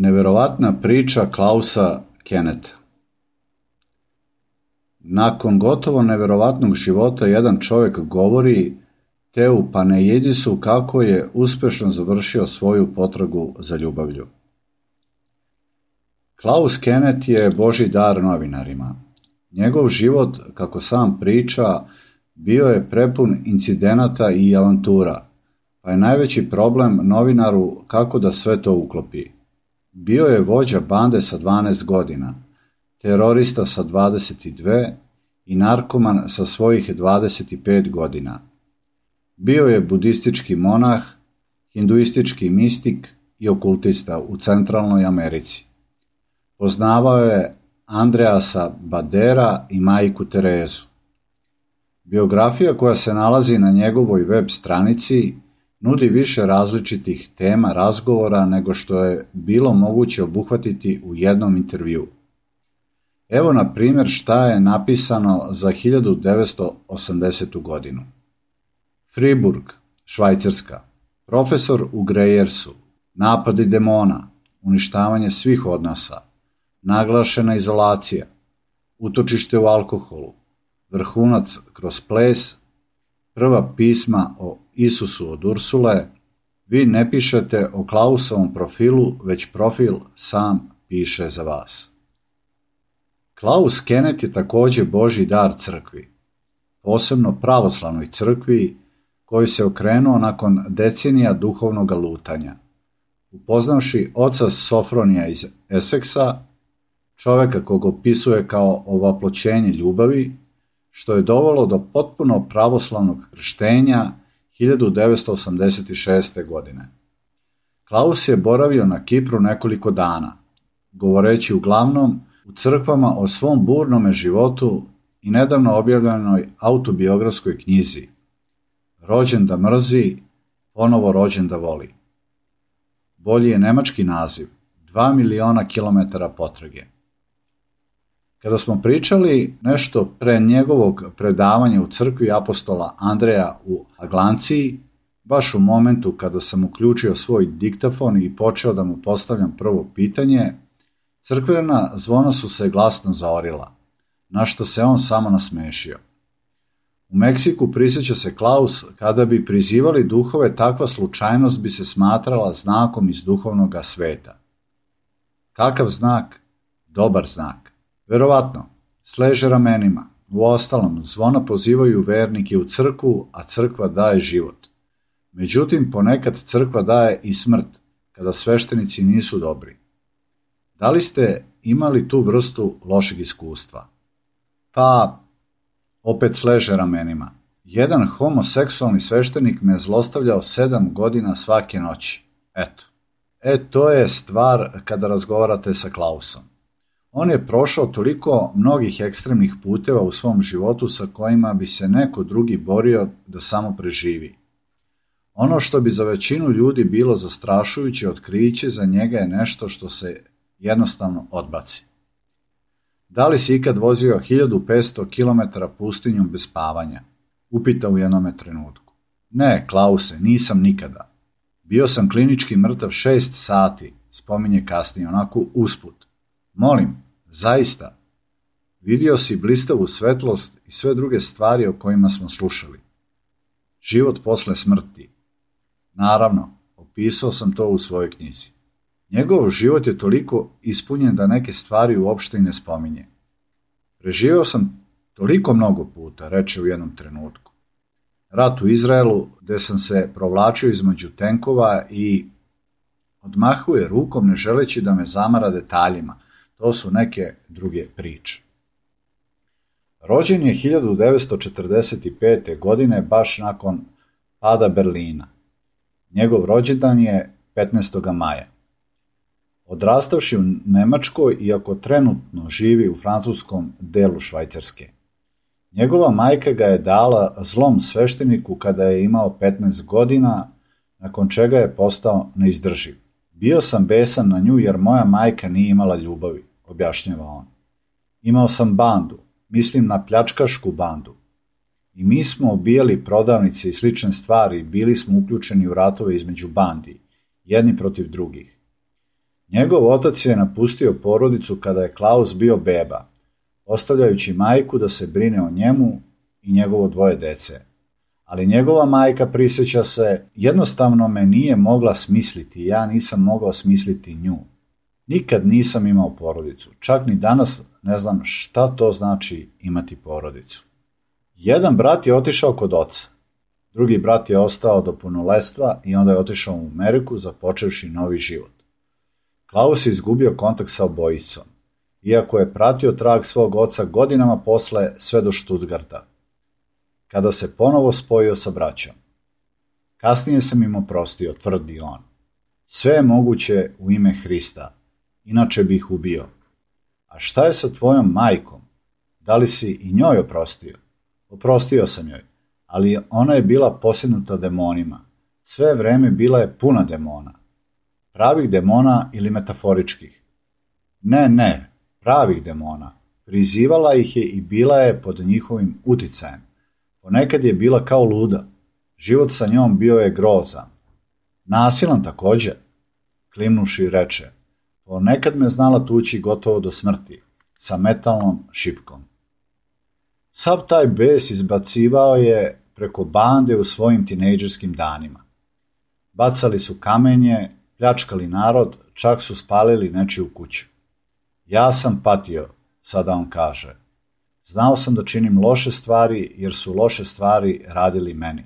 Neverovatna priča Klausa Keneta. Nakon gotovo neverovatnog života jedan čovjek govori Teu Paneidisu kako je uspješno završio svoju potragu za ljubavlju. Klaus Kenet je Božji dar novinarima. Njegov život, kako sam priča, bio je prepun incidenata i avantura, pa je najveći problem novinaru kako da sve to uklopi. Bio je vođa bande sa 12 godina, terorista sa 22 i narkoman sa svojih 25 godina. Bio je budistički monah, hinduistički mistik i okultista u Centralnoj Americi. Poznavao je Andreasa Badera i majku Terezu. Biografija koja se nalazi na njegovoj web stranici nudi više različitih tema razgovora nego što je bilo moguće obuhvatiti u jednom intervjuu. Evo na primjer šta je napisano za 1980. godinu. Friburg, Švajcarska, profesor u Grejersu, napadi demona, uništavanje svih odnosa, naglašena izolacija, utočište u alkoholu, vrhunac kroz ples, prva pisma o Isusu od Ursule. Vi ne pišete o Klausovom profilu, već profil sam piše za vas. Klaus Kenet je također Božji dar crkvi, posebno pravoslavnoj crkvi, koji se okrenuo nakon decenija duhovnog lutanja. Upoznavši oca Sofronija iz Eseksa, čovjeka kog opisuje kao ovaploćenje ljubavi, što je dovelo do potpuno pravoslavnog krštenja 1986. godine. Klaus je boravio na Kipru nekoliko dana, govoreći uglavnom u crkvama o svom burnome životu i nedavno objavljenoj autobiografskoj knjizi Rođen da mrzi, ponovo rođen da voli. Bolji je nemački naziv, 2 miliona kilometara potrage. Kada smo pričali nešto pre njegovog predavanja u crkvi apostola Andreja u Aglanciji, baš u momentu kada sam uključio svoj diktafon i počeo da mu postavljam prvo pitanje, crkvena zvona su se glasno zaorila, na što se on samo nasmešio. U Meksiku prisjeća se Klaus, kada bi prizivali duhove, takva slučajnost bi se smatrala znakom iz duhovnoga sveta. Kakav znak? Dobar znak. Verovatno, sleže ramenima. Uostalom, zvona pozivaju vernike u crkvu, a crkva daje život. Međutim, ponekad crkva daje i smrt, kada sveštenici nisu dobri. Da li ste imali tu vrstu lošeg iskustva? Pa, opet sleže ramenima. Jedan homoseksualni sveštenik me zlostavljao 7 godina svake noći. Eto. To je stvar kada razgovarate sa Klausom. On je prošao toliko mnogih ekstremnih puteva u svom životu sa kojima bi se neko drugi borio da samo preživi. Ono što bi za većinu ljudi bilo zastrašujuće otkriće, za njega je nešto što se jednostavno odbaci. Da li si ikad vozio 1500 km pustinjom bez spavanja? Upita u jednome trenutku. Ne, Klause, nisam nikada. Bio sam klinički mrtav 6 sati, spominje kasnije, onako usput. Molim, zaista. Vidio si blistavu svetlost i sve druge stvari o kojima smo slušali. Život posle smrti. Naravno, opisao sam to u svojoj knjizi. Njegov život je toliko ispunjen da neke stvari uopšte i ne spominje. Preživio sam toliko mnogo puta, reče u jednom trenutku. Rat u Izraelu, gde sam se provlačio između tenkova i odmahuje rukom ne želeći da me zamara detaljima. To su neke druge priče. Rođen je 1945. godine, baš nakon pada Berlina. Njegov rođendan je 15. maja. Odrastavši u Nemačkoj, iako trenutno živi u francuskom delu Švajcarske. Njegova majka ga je dala zlom svešteniku kada je imao 15 godina, nakon čega je postao neizdrživ. Bio sam besan na nju jer moja majka nije imala ljubavi, objašnjava on. Imao sam bandu, mislim na pljačkašku bandu. I mi smo obijali prodavnice i slične stvari, bili smo uključeni u ratove između bandi, jedni protiv drugih. Njegov otac je napustio porodicu kada je Klaus bio beba, ostavljajući majku da se brine o njemu i njegovo 2 dece. Ali njegova majka, prisjeća se, jednostavno me nije mogla smisliti i ja nisam mogao smisliti nju. Nikad nisam imao porodicu, čak ni danas ne znam šta to znači imati porodicu. Jedan brat je otišao kod oca, drugi brat je ostao do punoletstva i onda je otišao u Ameriku započevši novi život. Klaus je izgubio kontakt sa obojicom, iako je pratio trag svog oca godinama posle sve do Stuttgarta, kada se ponovo spojio sa braćom. Kasnije sam im oprostio, tvrdi on. Sve je moguće u ime Hrista, inače bih ih ubio. A šta je sa tvojom majkom? Da li si i njoj oprostio? Oprostio sam joj, ali ona je bila posjednuta demonima. Sve vreme bila je puna demona. Pravih demona ili metaforičkih? Ne, pravih demona. Prizivala ih je i bila je pod njihovim uticajem. Ponekad je bila kao luda. Život sa njom bio je grozan. Nasilan također, klimnuši reče. Ponekad me znala tući gotovo do smrti, sa metalnom šipkom. Sav taj bes izbacivao je preko bande u svojim tinejdžerskim danima. Bacali su kamenje, pljačkali narod, čak su spalili nečiju kuću. Ja sam patio, sada on kaže. Znao sam da činim loše stvari, jer su loše stvari radili meni.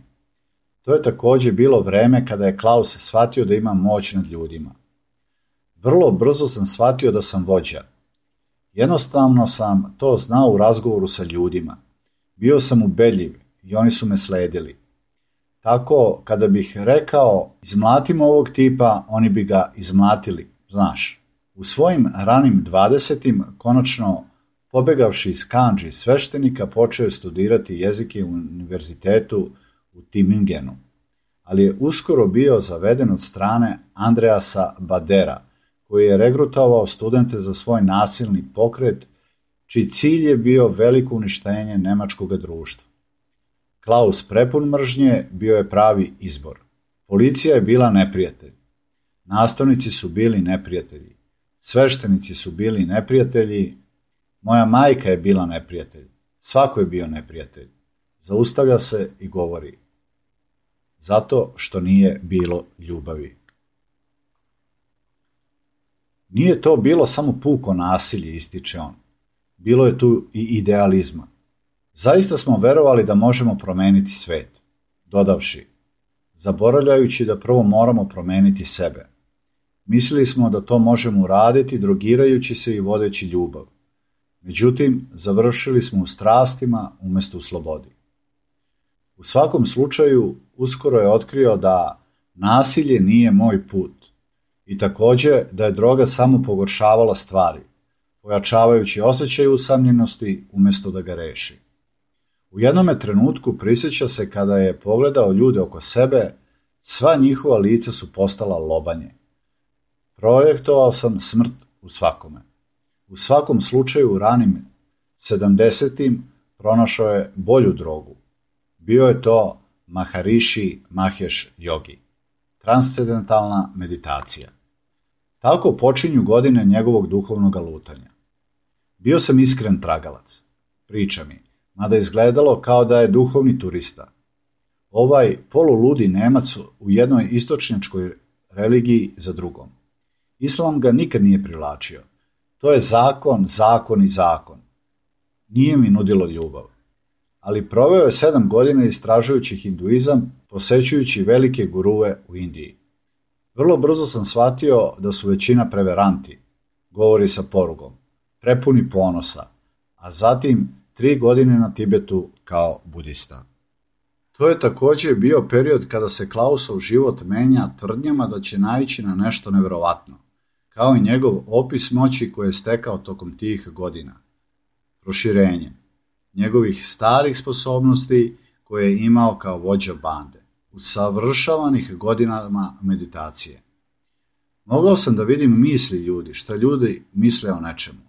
To je također bilo vreme kada je Klaus shvatio da ima moć nad ljudima. Vrlo brzo sam shvatio da sam vođa. Jednostavno sam to znao u razgovoru sa ljudima. Bio sam ubedljiv i oni su me sledili. Tako, kada bih rekao izmlatimo ovog tipa, oni bi ga izmlatili, znaš. U svojim ranim 20-im, konačno pobegavši iz kandži sveštenika, počeo je studirati jezike u univerzitetu u Tübingenu, ali je uskoro bio zaveden od strane Andreasa Badera, koji je regrutovao studente za svoj nasilni pokret, čiji cilj je bio veliko uništenje nemačkog društva. Klaus, prepun mržnje, bio je pravi izbor. Policija je bila neprijatelj. Nastavnici su bili neprijatelji. Sveštenici su bili neprijatelji. Moja majka je bila neprijatelj. Svako je bio neprijatelj. Zaustavlja se i govori. Zato što nije bilo ljubavi. Nije to bilo samo puko nasilje, ističe on. Bilo je tu i idealizma. Zaista smo verovali da možemo promeniti svet, dodavši, zaboravljajući da prvo moramo promeniti sebe. Mislili smo da to možemo uraditi drogirajući se i vodeći ljubav. Međutim, završili smo u strastima umjesto u slobodi. U svakom slučaju, uskoro je otkrio da nasilje nije moj put i također da je droga samo pogoršavala stvari, pojačavajući osjećaj usamljenosti umjesto da ga reši. U jednome trenutku prisjeća se kada je pogledao ljude oko sebe, sva njihova lica su postala lobanje. Projektovao sam smrt u svakome. U svakom slučaju u ranim 70-im pronašao je bolju drogu. Bio je to Maharishi Mahesh Yogi, transcendentalna meditacija. Tako počinju godine njegovog duhovnog lutanja. Bio sam iskren tragalac, priča mi, mada izgledalo kao da je duhovni turista. Ovaj poluludi Nemac u jednoj istočnjačkoj religiji za drugom. Islam ga nikad nije privlačio. To je zakon, zakon i zakon. Nije mi nudilo ljubav. Ali proveo je 7 godina istražujući hinduizam, posećujući velike gurue u Indiji. Vrlo brzo sam shvatio da su većina preveranti, govori sa porugom, prepuni ponosa, a zatim 3 godine na Tibetu kao budista. To je također bio period kada se Klausov život menja tvrdnjama da će naići na nešto nevjerovatno, kao i njegov opis moći koje je stekao tokom tih godina. Proširenje njegovih starih sposobnosti koje je imao kao vođa bande, usavršavanih godinama meditacije. Mogao sam da vidim misli ljudi, šta ljudi misle o nečemu.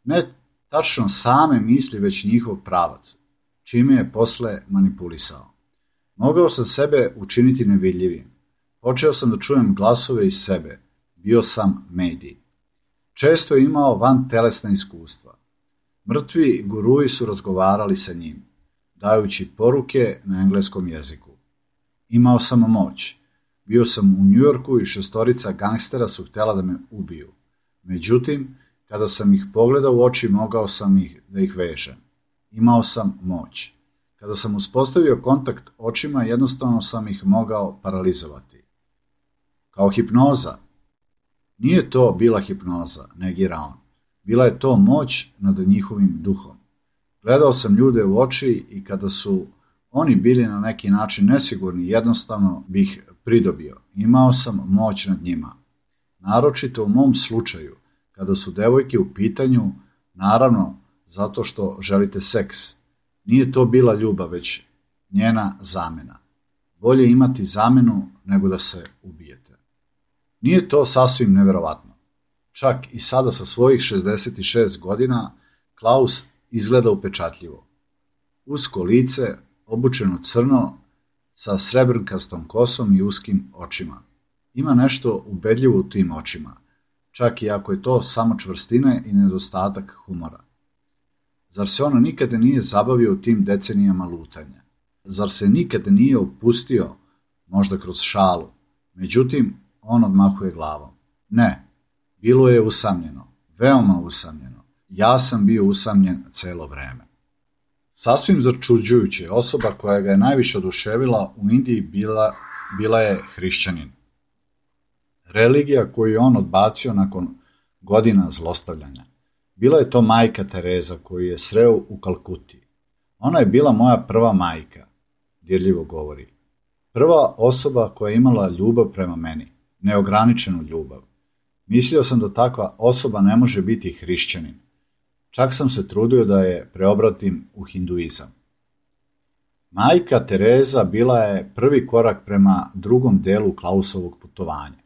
Ne tačno same misli, već njihov pravac, čime je posle manipulisao. Mogao sam sebe učiniti nevidljivim. Počeo sam da čujem glasove iz sebe, Bio sam medij. Često je imao vantelesna iskustva. Mrtvi guruji su razgovarali sa njim, dajući poruke na engleskom jeziku. Imao sam moć. Bio sam u Njujorku i 6 gangstera su htjela da me ubiju. Međutim, kada sam ih pogledao u oči, mogao sam da ih vežem. Imao sam moć. Kada sam uspostavio kontakt očima, jednostavno sam ih mogao paralizovati. Kao hipnoza. Nije to bila hipnoza, negira on. Bila je to moć nad njihovim duhom. Gledao sam ljude u oči i kada su oni bili na neki način nesigurni, jednostavno bih pridobio. Imao sam moć nad njima. Naročito u mom slučaju, kada su devojke u pitanju, naravno zato što želite seks. Nije to bila ljubav, već njena zamena. Bolje imati zamenu nego da se ubijete. Nije to sasvim neverovatno. Čak i sada sa svojih 66 godina Klaus izgleda upečatljivo. Usko lice, obučeno crno, sa srebrnkastom kosom i uskim očima. Ima nešto ubedljivo u tim očima, čak i ako je to samo čvrstina i nedostatak humora. Zar se on nikada nije zabavio u tim decenijama lutanja? Zar se nikada nije opustio, možda kroz šalu? Međutim, on odmahuje glavom. Ne, bilo je usamljeno, veoma usamljeno. Ja sam bio usamljen celo vreme. Sasvim začuđujuće, osoba koja ga je najviše oduševila u Indiji bila je hrišćanin. Religija koju je on odbacio nakon godina zlostavljanja. Bila je to majka Tereza koju je sreo u Kalkuti. Ona je bila moja prva majka, dirljivo govori. Prva osoba koja je imala ljubav prema meni, neograničenu ljubav. Mislio sam da takva osoba ne može biti hrišćanin. Čak sam se trudio da je preobratim u hinduizam. Majka Tereza bila je prvi korak prema drugom delu Klausovog putovanja.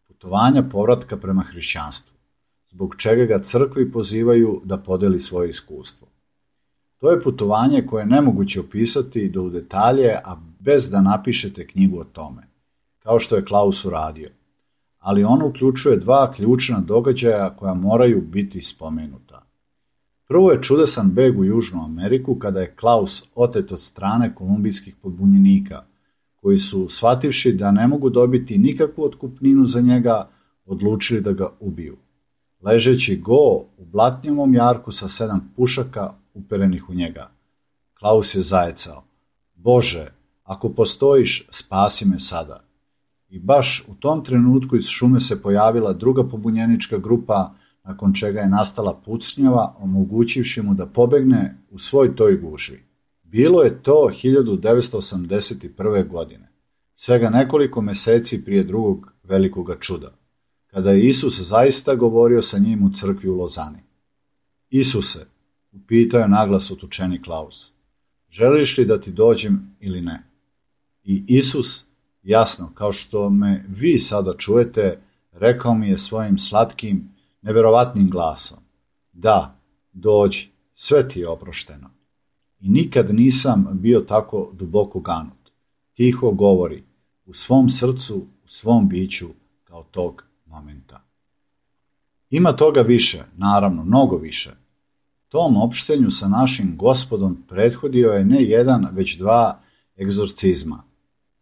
Putovanja povratka prema hrišćanstvu, zbog čega ga crkvi pozivaju da podeli svoje iskustvo. To je putovanje koje je nemoguće opisati do u detalje, a bez da napišete knjigu o tome, kao što je Klaus uradio. Ali ono uključuje 2 ključna događaja koja moraju biti spomenuta. Prvo je čudesan beg u Južnu Ameriku kada je Klaus otet od strane kolumbijskih pobunjenika, koji su, shvativši da ne mogu dobiti nikakvu otkupninu za njega, odlučili da ga ubiju. Ležeći go u blatnjavom jarku sa 7 pušaka uperenih u njega. Klaus je zajecao. Bože, ako postojiš, spasi me sada. I baš u tom trenutku iz šume se pojavila druga pobunjenička grupa, nakon čega je nastala pucnjava, omogućivši mu da pobegne u svoj toj gužvi. Bilo je to 1981. godine, svega nekoliko meseci prije drugog velikoga čuda, kada je Isus zaista govorio sa njim u crkvi u Lozani. Isuse, upitao je naglas otučeni Klaus, želiš li da ti dođem ili ne? I Isus, jasno, kao što me vi sada čujete, rekao mi je svojim slatkim, neverovatnim glasom, da, dođi, sve ti je oprošteno. I nikad nisam bio tako duboko ganut. Tiho govori, u svom srcu, u svom biću, kao tog momenta. Ima toga više, naravno, mnogo više. Tom opštenju sa našim Gospodom prethodio je ne jedan, već 2 egzorcizma,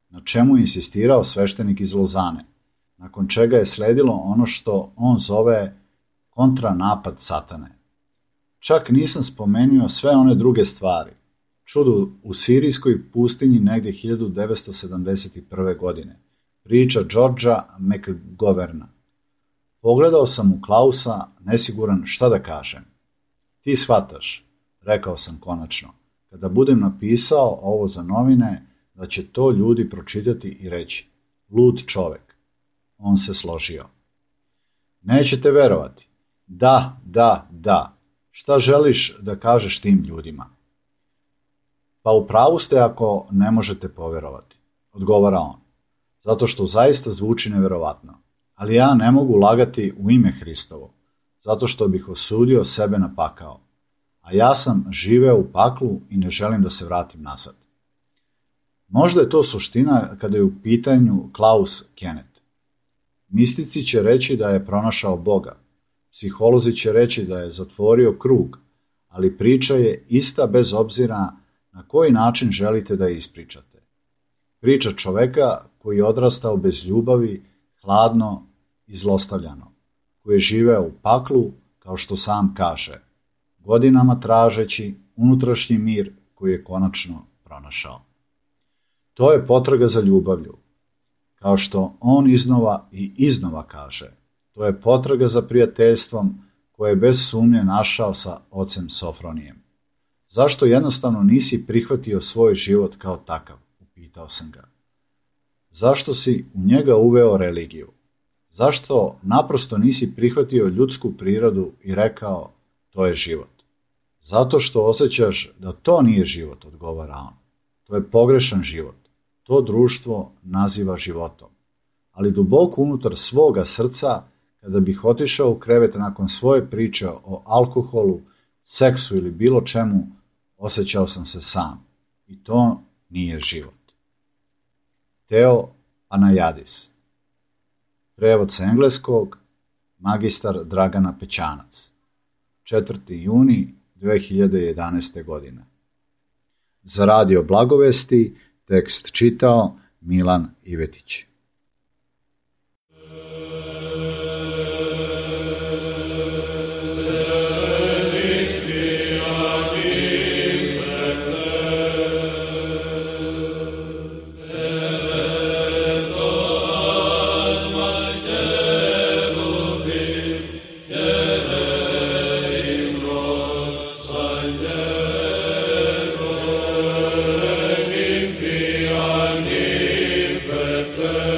na čemu je insistirao sveštenik iz Lozane, nakon čega je sledilo ono što on zove kontranapad satane. Čak nisam spomenuo sve one druge stvari. Čudo u sirijskoj pustinji negdje 1971. godine. Priča Georgea McGoverna. Pogledao sam u Klausa, nesiguran šta da kažem. Ti shvataš, rekao sam konačno, kada budem napisao ovo za novine, da će to ljudi pročitati i reći, lud čovek. On se složio. Nećete verovati. Da. Šta želiš da kažeš tim ljudima? Pa u pravu ste ako ne možete poverovati, odgovara on, zato što zaista zvuči neverovatno. Ali ja ne mogu lagati u ime Hristovo, zato što bih osudio sebe na pakao. A ja sam živeo u paklu i ne želim da se vratim nazad. Možda je to suština kada je u pitanju Klaus Kenneth. Mistici će reći da je pronašao Boga. Psiholozi će reći da je zatvorio krug, ali priča je ista bez obzira na koji način želite da je ispričate. Priča čoveka koji je odrastao bez ljubavi, hladno i zlostavljano, koji je živeo u paklu, kao što sam kaže, godinama tražeći unutrašnji mir koji je konačno pronašao. To je potraga za ljubavlju. Kao što on iznova i iznova kaže, to je potraga za prijateljstvom koje je bez sumnje našao sa ocem Sofronijem. Zašto jednostavno nisi prihvatio svoj život kao takav? Upitao sam ga. Zašto si u njega uveo religiju? Zašto naprosto nisi prihvatio ljudsku prirodu i rekao, to je život? Zato što osjećaš da to nije život, odgovara on. To je pogrešan život. To društvo naziva životom. Ali duboko unutar svoga srca, kada bih otišao u krevet nakon svoje priče o alkoholu, seksu ili bilo čemu, osjećao sam se sam. I to nije život. Teo Anajadis. Prevod sa engleskog, magistar Dragana Pećanac. 4. juni 2011. godine. Za Radio Blagovesti tekst čitao Milan Ivetić. Faithful.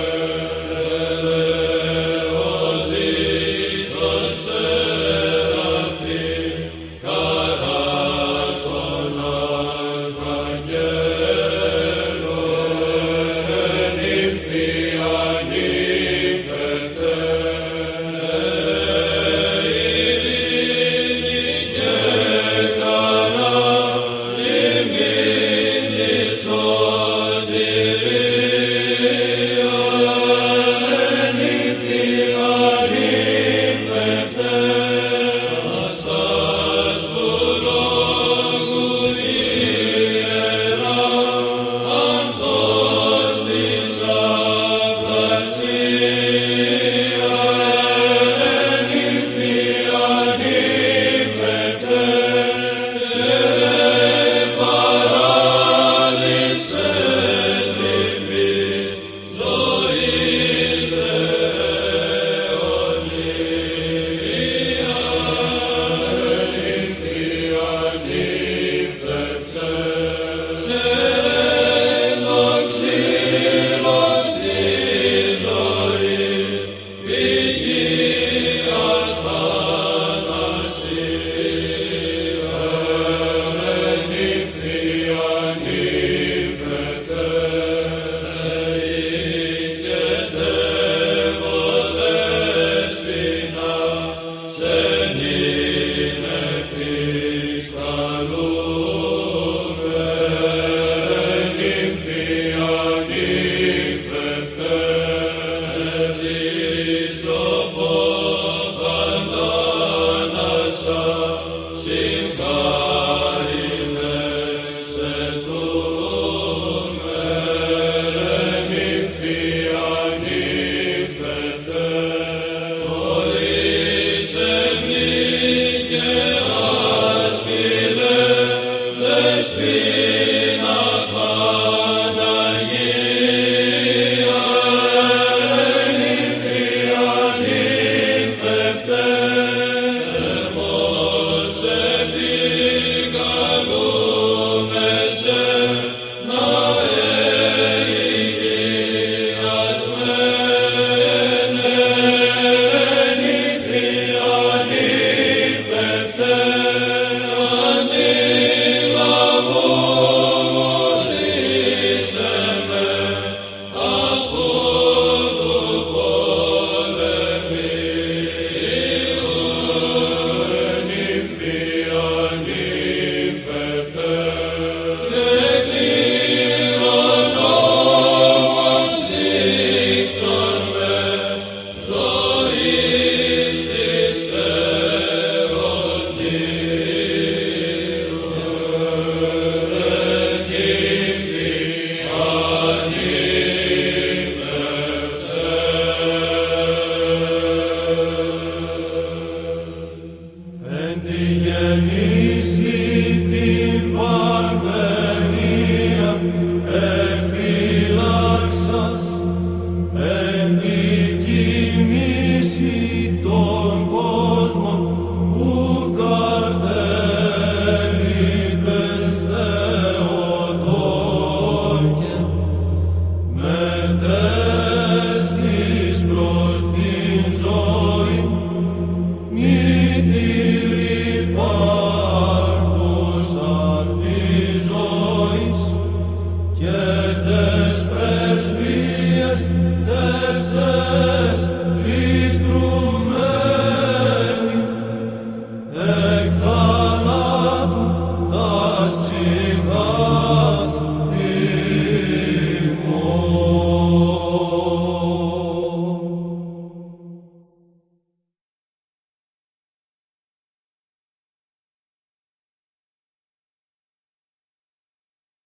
Des presvies, des